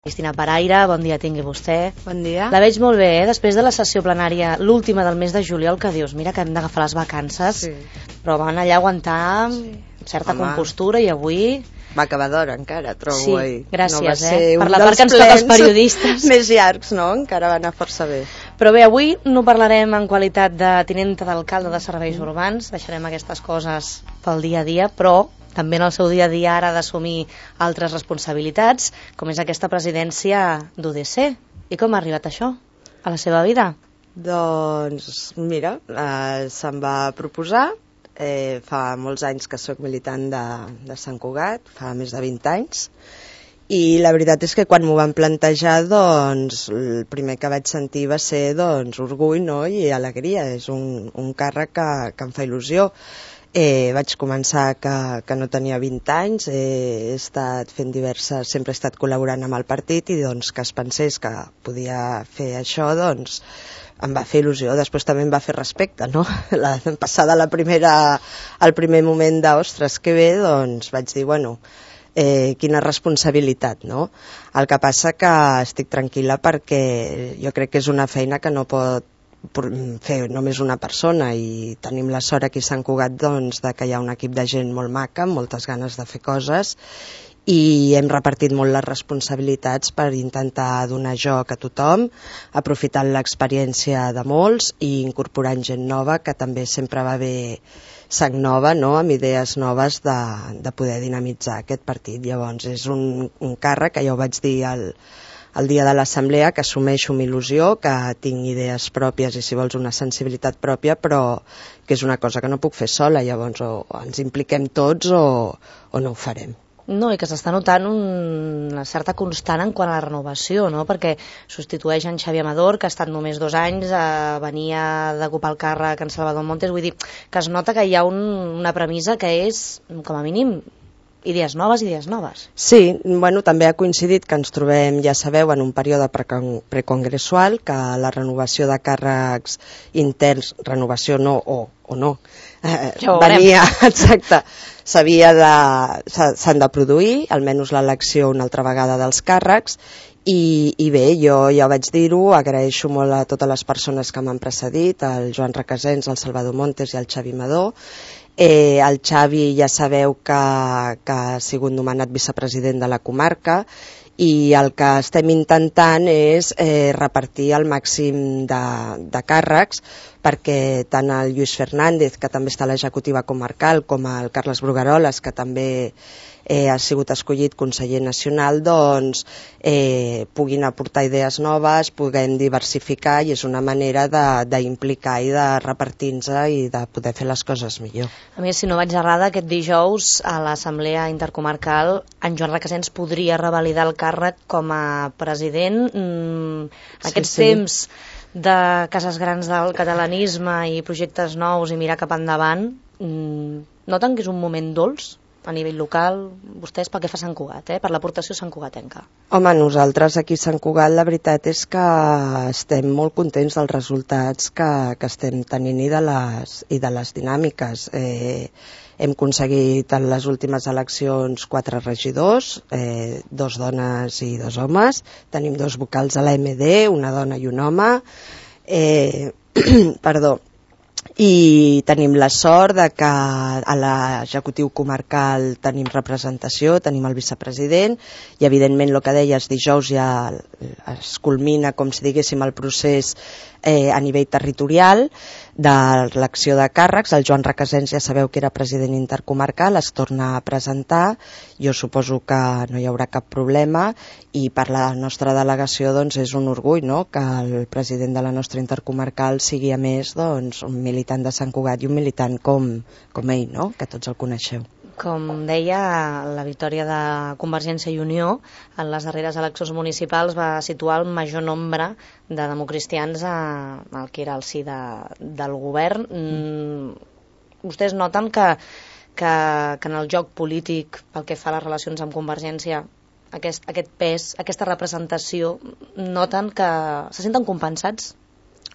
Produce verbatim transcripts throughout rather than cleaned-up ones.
Cristina Paraire, bon dia tingui vostè. Bon dia. La veig molt bé, eh? Després de la sessió plenària, l'última del mes de juliol, que dius, mira que hem d'agafar les vacances, Sí. però van allà aguantar Sí. certa Home. compostura i avui... Va acabar d'hora encara, trobo. Sí, ahir. gràcies, no va eh? ser Per un la part dels que ens toca als plens periodistes. més llargs, no? Encara va anar força bé. Però bé, avui no parlarem en qualitat de tinenta d'alcalde de serveis urbans, deixarem aquestes coses pel dia a dia, però també en el seu dia a dia ara ha d'assumir altres responsabilitats, com és aquesta presidència d'U D C. I com ha arribat això a la seva vida? Doncs, mira, eh, se'm va proposar, eh, fa molts anys que sóc militant de, de Sant Cugat, fa més de vint anys, i la veritat és que quan m'ho van plantejar, doncs, el primer que vaig sentir va ser, doncs, orgull, no?, i alegria. És un, un càrrec que, que em fa il·lusió. Eh, vaig començar que, que no tenia vint anys, eh, he estat fent diverses, sempre he estat col·laborant amb el partit i doncs que es pensés que podia fer això, doncs em va fer il·lusió. Després també em va fer respecte, no? La, passada la primera, el primer moment d'ostres, que bé, doncs vaig dir, bueno, eh, quina responsabilitat, no? El que passa que estic tranquil·la perquè jo crec que és una feina que no pot fer només una persona, i tenim la sort aquí a Sant Cugat, doncs, de que hi ha un equip de gent molt maca, amb moltes ganes de fer coses, i hem repartit molt les responsabilitats per intentar donar joc a tothom, aprofitant l'experiència de molts i incorporant gent nova, que també sempre va bé sang nova, no?, amb idees noves de, de poder dinamitzar aquest partit. Llavors és un, un càrrec que ja ho vaig dir al el dia de l'assemblea, que assumeixo amb il·lusió, que tinc idees pròpies i, si vols, una sensibilitat pròpia, però que és una cosa que no puc fer sola. Llavors o ens impliquem tots o, o no ho farem. No, i que s'està notant un, una certa constant en quant a la renovació, no? Perquè substitueix en Xavi Amador, que ha estat només dos anys, eh, venia d'ocupar el càrrec en Salvador Montes, vull dir que es nota que hi ha un, una premissa que és, com a mínim, idees noves, idees noves. Sí, bueno, també ha coincidit que ens trobem, ja sabeu, en un període precongressual, que la renovació de càrrecs interns, renovació no, o, o no, eh, ja venia, exacte, s'havia de, s'han de produir, almenys l'elecció una altra vegada dels càrrecs, i, i bé, jo ja vaig dir-ho, agraeixo molt a totes les persones que m'han precedit, el Joan Requesens, el Salvador Montes i el Xavi Amador. Eh, el Xavi ja sabeu que, que ha sigut nomenat vicepresident de la comarca, i el que estem intentant és eh, repartir el màxim de, de càrrecs, perquè tant el Lluís Fernández, que també està a l'executiva comarcal, com el Carles Brugueroles, que també eh, ha sigut escollit conseller nacional, doncs eh, puguin aportar idees noves, puguem diversificar, i és una manera d'implicar i de repartir-nos i de poder fer les coses millor. A més, si no vaig errada, aquest dijous a l'Assemblea Intercomarcal en Joan Requesens podria revalidar el càrrec com a president. Mm, aquests sí, sí. temps de cases grans del catalanisme i projectes nous i mirar cap endavant, mm, noten que és un moment dolç a nivell local, vostès pel que fa a Sant Cugat, eh? Per l'aportació santcugatenca? Home, nosaltres aquí a Sant Cugat la veritat és que estem molt contents dels resultats que, que estem tenint i de les, i de les dinàmiques. Eh, hem aconseguit en les últimes eleccions quatre regidors, eh, dos dones i dos homes, tenim dos vocals a l'A M D, una dona i un home, eh, perdó, i tenim la sort de que a l'executiu comarcal tenim representació, tenim el vicepresident, i evidentment el que deies, dijous ja es culmina, com si diguéssim, el procés eh, a nivell territorial de l'elecció de càrrecs. El Joan Requesens ja sabeu que era president intercomarcal, es torna a presentar, jo suposo que no hi haurà cap problema, i per la nostra delegació doncs, és un orgull, no?, que el president de la nostra intercomarcal sigui a més doncs, un militant de Sant Cugat i un militant com, com ell, no?, que tots el coneixeu. Com deia, la victòria de Convergència i Unió en les darreres eleccions municipals va situar el major nombre de democristians al que era el sí de, del govern. Mm, vostès noten que, que, que en el joc polític, pel que fa a les relacions amb Convergència, aquest, aquest pes, aquesta representació, noten que se senten compensats?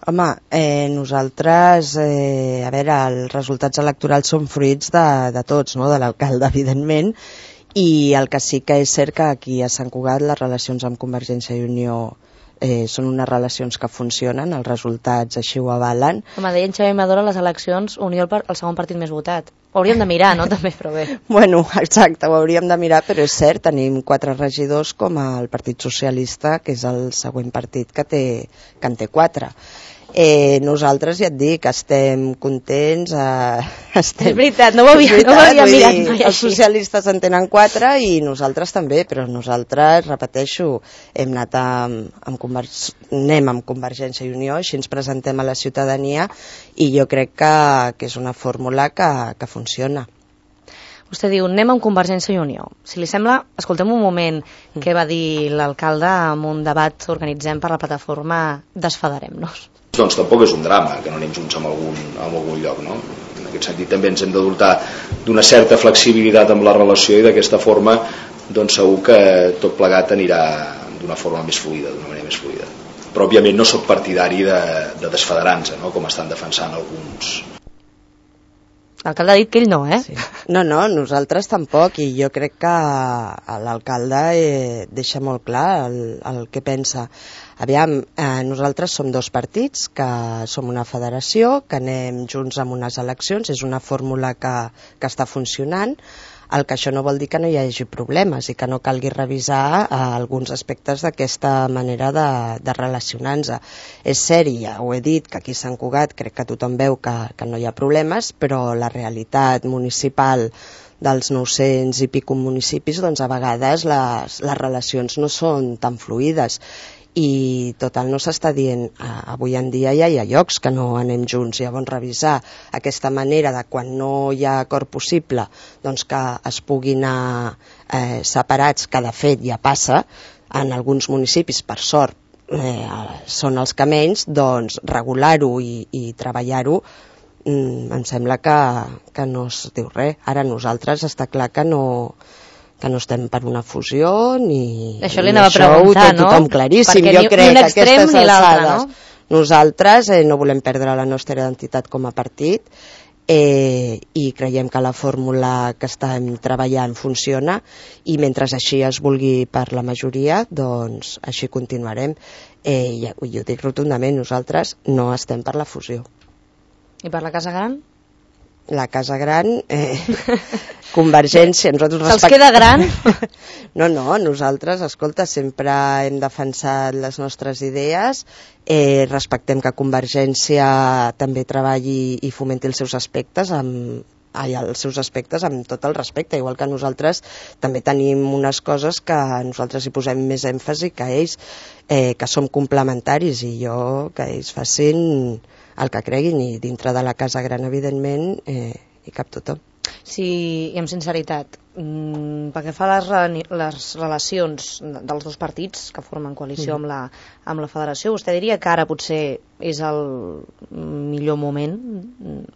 Home, eh, nosaltres, eh, a veure, els resultats electorals són fruits de, de tots, no?, de l'alcalde, evidentment, i el que sí que és cert que aquí a Sant Cugat les relacions amb Convergència i Unió eh, són unes relacions que funcionen, els resultats així ho avalen. Home, deia en Xavier Maduro a les eleccions, Unió el, el segon partit més votat. Ho hauríem de mirar, no? També, però bé. Bueno, exacte, ho hauríem de mirar, però és cert, tenim quatre regidors com el Partit Socialista, que és el següent partit que, té, que en té quatre. Eh, nosaltres, ja et dic, estem contents. Eh, estem... És veritat, no ho havia, veritat, no ho havia mirat dir, mai els així. socialistes en tenen quatre i nosaltres també, però nosaltres, repeteixo, hem anat amb, amb Conver- anem amb Convergència i Unió, així ens presentem a la ciutadania i jo crec que, que és una fórmula que, que funciona. Vostè diu, anem amb Convergència i Unió. Si li sembla, escoltem un moment què va dir l'alcalde en un debat que organitzem per la plataforma Desfadarem-nos. Doncs tampoc és un drama que no anem junts en algun, en algun lloc, no? En aquest sentit també ens hem de dotar d'una certa flexibilitat amb la relació i d'aquesta forma doncs segur que tot plegat anirà d'una forma més fluida, d'una manera més fluida. Però òbviament no soc partidari de, de desfederar-nos, no? Com estan defensant alguns. L'alcalde ha dit que ell no, eh? Sí. No, no, nosaltres tampoc, i jo crec que l'alcalde eh, deixa molt clar el, el que pensa. Aviam, eh, nosaltres som dos partits, que som una federació, que anem junts amb unes eleccions, és una fórmula que, que està funcionant, el que això no vol dir que no hi hagi problemes i que no calgui revisar eh, alguns aspectes d'aquesta manera de, de relacionar-nos. És cert, i ja ho he dit, que aquí a Sant Cugat crec que tothom veu que, que no hi ha problemes, però la realitat municipal dels nou-cents i pico municipis, doncs a vegades les, les relacions no són tan fluides. I total no s'està dient, eh, avui en dia ja hi ha llocs que no anem junts, llavors revisar aquesta manera de quan no hi ha acord possible doncs que es puguin anar eh, separats, que de fet ja passa en alguns municipis, per sort eh, són els que menys, doncs regular-ho i, i treballar-ho mm, em sembla que, que no es diu res. Ara nosaltres està clar que no que no estem per una fusió ni això li ni anava a preguntar, no? Tothom claríssim. Perquè jo ni, crec ni un que extrem aquestes ni l'altre, alçades no? Nosaltres eh, no volem perdre la nostra identitat com a partit eh, i creiem que la fórmula que estem treballant funciona i mentre així es vulgui per la majoria, doncs així continuarem. Eh, i, i ho dic rotundament, nosaltres no estem per la fusió. I per la Casa Gran? La Casa Gran, eh, Convergència... Se'ls respect... queda gran? No, no, nosaltres, escolta, sempre hem defensat les nostres idees, eh, respectem que Convergència també treballi i fomenti els seus aspectes amb, ai, els seus aspectes amb tot el respecte, igual que nosaltres també tenim unes coses que nosaltres hi posem més èmfasi que ells, eh, que som complementaris i jo que ells facin el que creguin i dintre de la Casa Gran evidentment eh, hi cap tothom. Sí, i amb sinceritat, mmm, perquè fa les, les relacions dels dos partits que formen coalició mm. amb, la, amb la federació, vostè diria que ara potser és el millor moment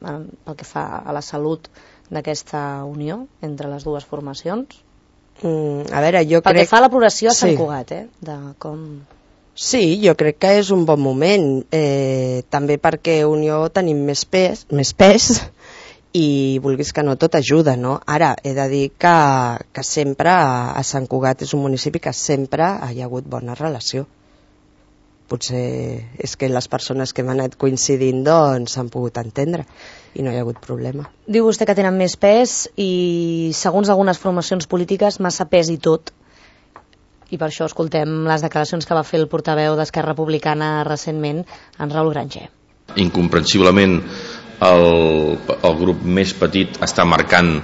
pel que fa a la salut d'aquesta unió entre les dues formacions? Mm, a veure, jo pel crec... que fa a la progressió a Sant sí. Cugat, eh? De com... Sí, jo crec que és un bon moment, eh, també perquè Unió tenim més pes, més pes i vulguis que no tot ajuda, no? Ara, he de dir que, que sempre a, a Sant Cugat és un municipi que sempre hi ha hagut bona relació. Potser és que les persones que hem anat coincidint doncs s'han pogut entendre i no hi ha hagut problema. Diu vostè que tenen més pes i segons algunes formacions polítiques massa pes i tot. I per això escoltem les declaracions que va fer el portaveu d'Esquerra Republicana recentment, en Raül Granger. Incomprensiblement el, el grup més petit està marcant,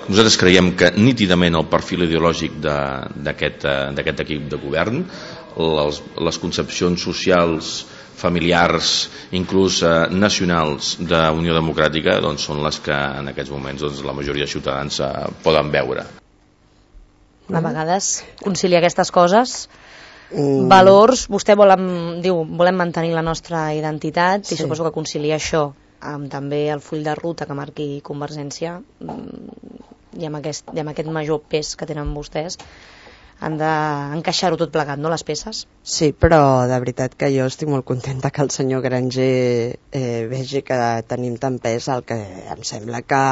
nosaltres creiem que nítidament el perfil ideològic d'aquest d'aquest equip de govern, les, les concepcions socials, familiars, inclús eh, nacionals d'Unió Democràtica doncs són les que en aquests moments doncs, la majoria de ciutadans eh, poden veure. A vegades conciliar aquestes coses, mm. valors, vostè vol, diu, volem mantenir la nostra identitat sí. I suposo que conciliar això amb també el full de ruta que marqui Convergència i amb aquest, i amb aquest major pes que tenen vostès han d'encaixar-ho tot plegat, no, les peces? Sí, però de veritat que jo estic molt contenta que el senyor Granger eh, vegi que tenim tant pes, el que em sembla que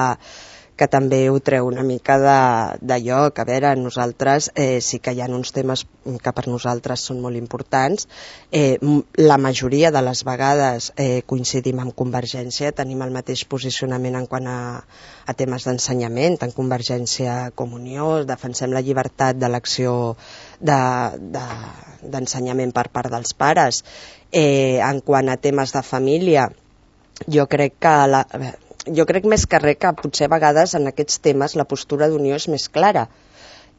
que també ho treu una mica de, de lloc. A veure, nosaltres eh, sí que hi ha uns temes que per nosaltres són molt importants. Eh, la majoria de les vegades eh, coincidim amb Convergència, tenim el mateix posicionament en quant a, a temes d'ensenyament, tant Convergència com Unió, defensem la llibertat d'elecció d'ensenyament de, de, per part dels pares. Eh, en quant a temes de família, jo crec que la, jo crec més que res que potser a vegades en aquests temes la postura d'Unió és més clara,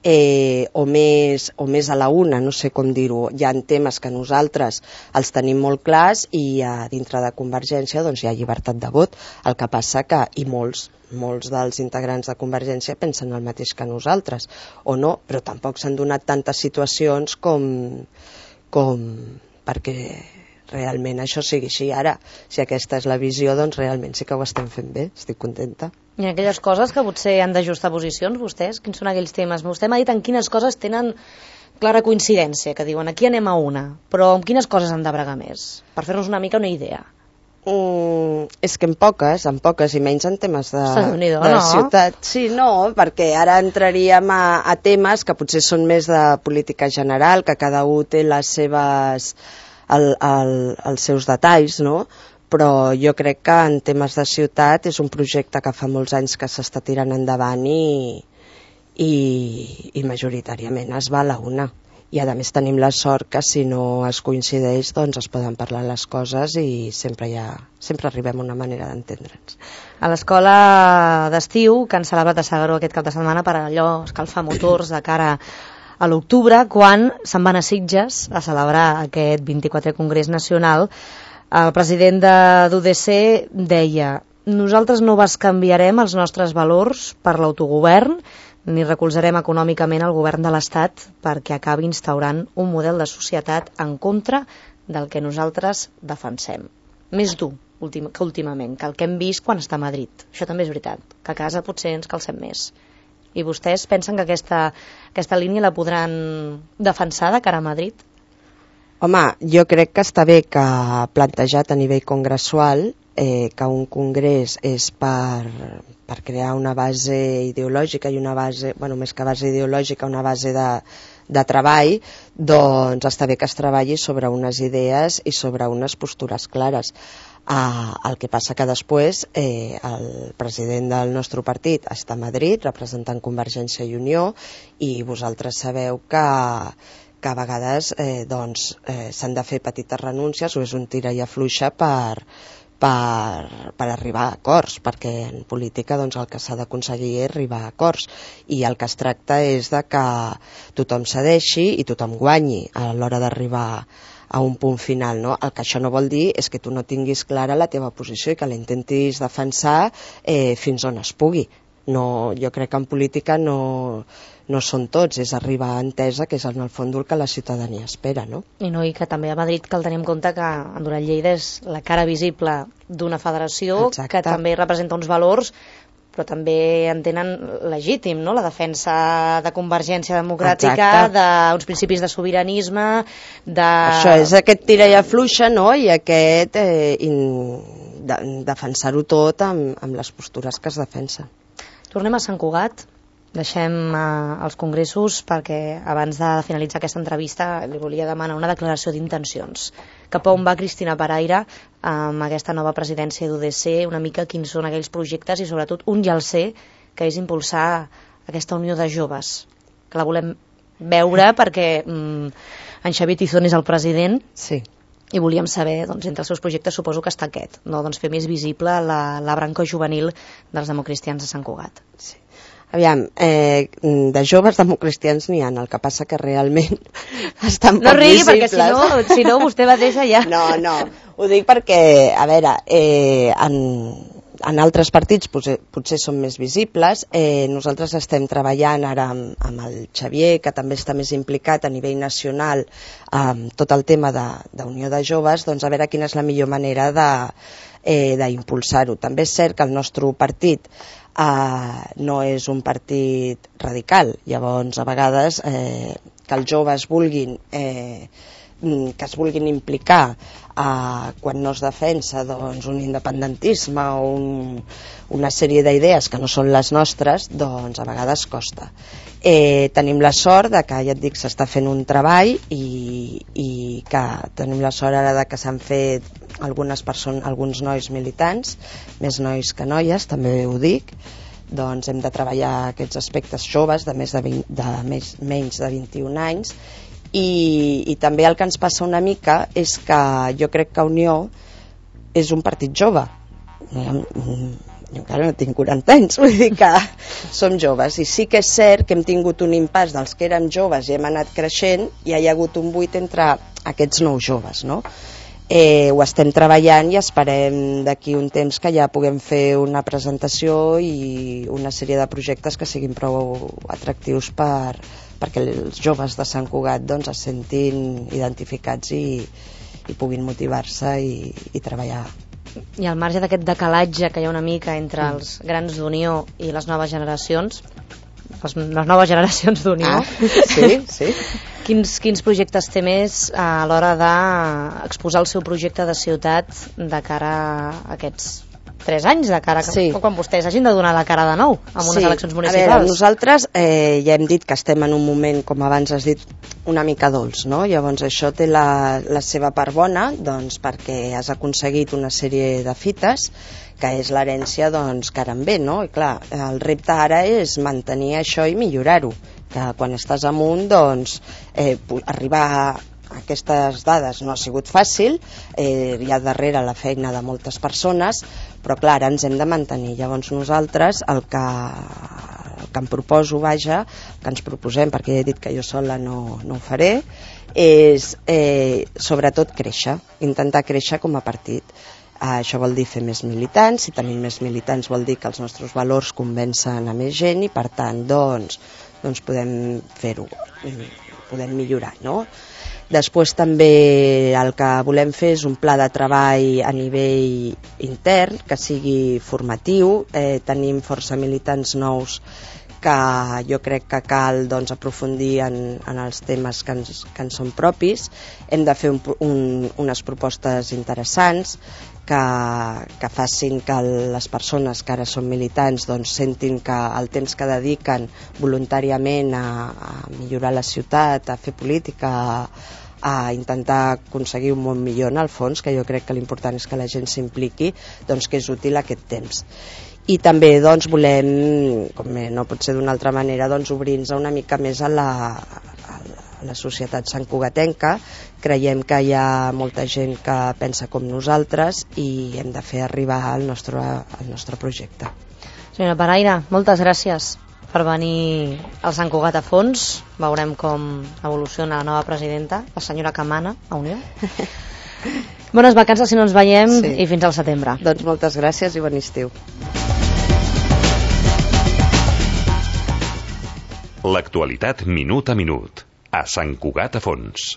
eh, o, més, o més a la una, no sé com dir-ho. Hi ha temes que nosaltres els tenim molt clars i a dintre de Convergència doncs, hi ha llibertat de vot. El que passa que, i molts, molts dels integrants de Convergència pensen el mateix que nosaltres, o no, però tampoc s'han donat tantes situacions com, com perquè realment això sigui així. Ara, si aquesta és la visió, doncs realment sí que ho estem fent bé, estic contenta. I aquelles coses que potser han d'ajustar posicions, vostès? Quins són aquells temes? Vostè m'ha dit en quines coses tenen clara coincidència, que diuen aquí anem a una, però en quines coses han de bregar més? Per fer-nos una mica una idea. Mm, és que en poques, en poques, i menys en temes de, de no? ciutat. Sí, no, perquè ara entraríem a, a temes que potser són més de política general, que cada un té les seves... El, el, els seus detalls, no? Però jo crec que en temes de ciutat és un projecte que fa molts anys que s'està tirant endavant i, i, i majoritàriament es va a la una. I a més tenim la sort que si no es coincideix doncs es poden parlar les coses i sempre, hi ha, sempre arribem a una manera d'entendre'ns. A l'escola d'estiu, que han celebrat a S'Agaró aquest cap de setmana per allò escalfar motors de cara a l'octubre, quan se'n van a Sitges a celebrar aquest vint-i-quatrè Congrés Nacional, el president de d'U D C deia: nosaltres no bescanviarem els nostres valors per l'autogovern ni recolzarem econòmicament el govern de l'Estat perquè acabi instaurant un model de societat en contra del que nosaltres defensem. Més dur que últimament, que el que hem vist quan està a Madrid. Això també és veritat, que a casa potser ens calcem més. I vostès pensen que aquesta, aquesta línia la podran defensar de cara a Madrid? Home, jo crec que està bé que plantejat a nivell congressual eh, que un congrés és per, per crear una base ideològica i una base, bueno, més que base ideològica, una base de, de treball, doncs està bé que es treballi sobre unes idees i sobre unes postures clares. Uh, el que passa que després eh, el president del nostre partit està a Madrid representant Convergència i Unió i vosaltres sabeu que, que a vegades eh, doncs, eh, s'han de fer petites renúncies o és un tira i afluixa per, per, per arribar a acords, perquè en política doncs, el que s'ha d'aconseguir és arribar a acords i el que es tracta és de que tothom cedeixi i tothom guanyi a l'hora d'arribar a un punt final, no? El que això no vol dir és que tu no tinguis clara la teva posició i que la intentis defensar eh, fins on es pugui. No, jo crec que en política no, no són tots, és arribar a entesa, que és en el fons el que la ciutadania espera, no? I no, i que també a Madrid cal tenir en compte que Endurant Lleida és la cara visible d'una federació. Exacte. Que també representa uns valors, però també en tenen legítim, no? La defensa de Convergència Democràtica, d'uns principis de sobiranisme, de... Això és aquest tira i afluixa, no? I aquest eh, in, de, defensar-ho tot amb, amb les postures que es defensen. Tornem a Sant Cugat, deixem eh, els congressos perquè abans de finalitzar aquesta entrevista li volia demanar una declaració d'intencions. Cap a on va Cristina Paraire amb aquesta nova presidència d'U D C, una mica quins són aquells projectes i sobretot un ja el sé, que és impulsar aquesta unió de joves, que la volem veure perquè mm, en Xavier Tizón és el president. Sí. I volíem saber, doncs, entre els seus projectes suposo que està aquest, no? Doncs fer més visible la, la branca juvenil dels democristians de Sant Cugat. Sí. Aviam, eh, de joves democristians n'hi ha, el que passa que realment estan no poc rigui, visibles. perquè si no, si no vostè mateixa ja... No, no, ho dic perquè, a veure, eh, en, en altres partits potser, potser són més visibles. Eh, nosaltres estem treballant ara amb, amb el Xavier, que també està més implicat a nivell nacional amb tot el tema d'unió de, de joves, doncs a veure quina és la millor manera de, eh, d'impulsar-ho. També és cert que el nostre partit Uh, no és un partit radical, llavors a vegades eh, que els joves vulguin eh, que es vulguin implicar eh, quan no es defensa doncs, un independentisme o un, una sèrie d'idees que no són les nostres, doncs a vegades costa. Eh, tenim la sort de que, ja et dic, s'està fent un treball i, i que tenim la sort ara de que s'han fet algunes persones, alguns nois militants, més nois que noies, també ho dic, doncs hem de treballar aquests aspectes joves de, més de, vint, de més, menys de vint-i-un anys. I, i també el que ens passa una mica és que jo crec que Unió és un partit jove. Jo, jo encara no tinc quaranta anys, vull dir que som joves, i sí que és cert que hem tingut un impàs dels que érem joves i hem anat creixent i hi ha hagut un buit entre aquests nous joves, no? Eh, ho estem treballant i esperem d'aquí un temps que ja puguem fer una presentació i una sèrie de projectes que siguin prou atractius per, perquè els joves de Sant Cugat doncs, es sentin identificats i, i puguin motivar-se i, i treballar. I al marge d'aquest decalatge que hi ha una mica entre mm. els grans d'Unió i les noves generacions, les, les noves generacions d'Unió, ah, sí, sí. Quins, quins projectes té més a l'hora d'exposar el seu projecte de ciutat de cara a aquests tres anys, de cara a sí. quan vostès hagin de donar la cara de nou en unes sí. eleccions municipals? A veure, nosaltres eh, ja hem dit que estem en un moment, com abans has dit, una mica dolç, no? Llavors això té la, la seva part bona, doncs perquè has aconseguit una sèrie de fites, que és l'herència doncs, que ara en ve, no? I clar, el repte ara és mantenir això i millorar-ho, que quan estàs amunt, doncs, eh, arribar a aquestes dades no ha sigut fàcil, eh, hi ha darrere la feina de moltes persones, però clar, ara ens hem de mantenir. Llavors nosaltres el que, el que em proposo, vaja, el que ens proposem, perquè ja he dit que jo sola no, no ho faré, és eh, sobretot créixer, intentar créixer com a partit. Eh, això vol dir fer més militants, si tenim més militants vol dir que els nostres valors convencen a més gent i per tant doncs, doncs podem fer-ho, podem millorar, no? Després també el que volem fer és un pla de treball a nivell intern que sigui formatiu. Eh, tenim força militants nous que jo crec que cal doncs, aprofundir en, en els temes que ens, que ens són propis. Hem de fer un, un, unes propostes interessants que, que facin que les persones que ara són militants doncs, sentin que el temps que dediquen voluntàriament a, a millorar la ciutat, a fer política, a, a intentar aconseguir un món millor en el fons, que jo crec que l'important és que la gent s'impliqui, doncs que és útil aquest temps. I també doncs, volem, com no pot ser d'una altra manera, doncs, obrir-nos una mica més a la, a la societat santcugatenca. Creiem que hi ha molta gent que pensa com nosaltres i hem de fer arribar el nostre, el nostre projecte. Senyora Paraire, moltes gràcies per venir al Sant Cugat a fons. Veurem com evoluciona la nova presidenta, la senyora que mana a Unió. Bones vacances si no ens veiem sí. i fins al setembre. Doncs moltes gràcies i bon estiu. L'actualitat minut a minut a Sant Cugat a fons.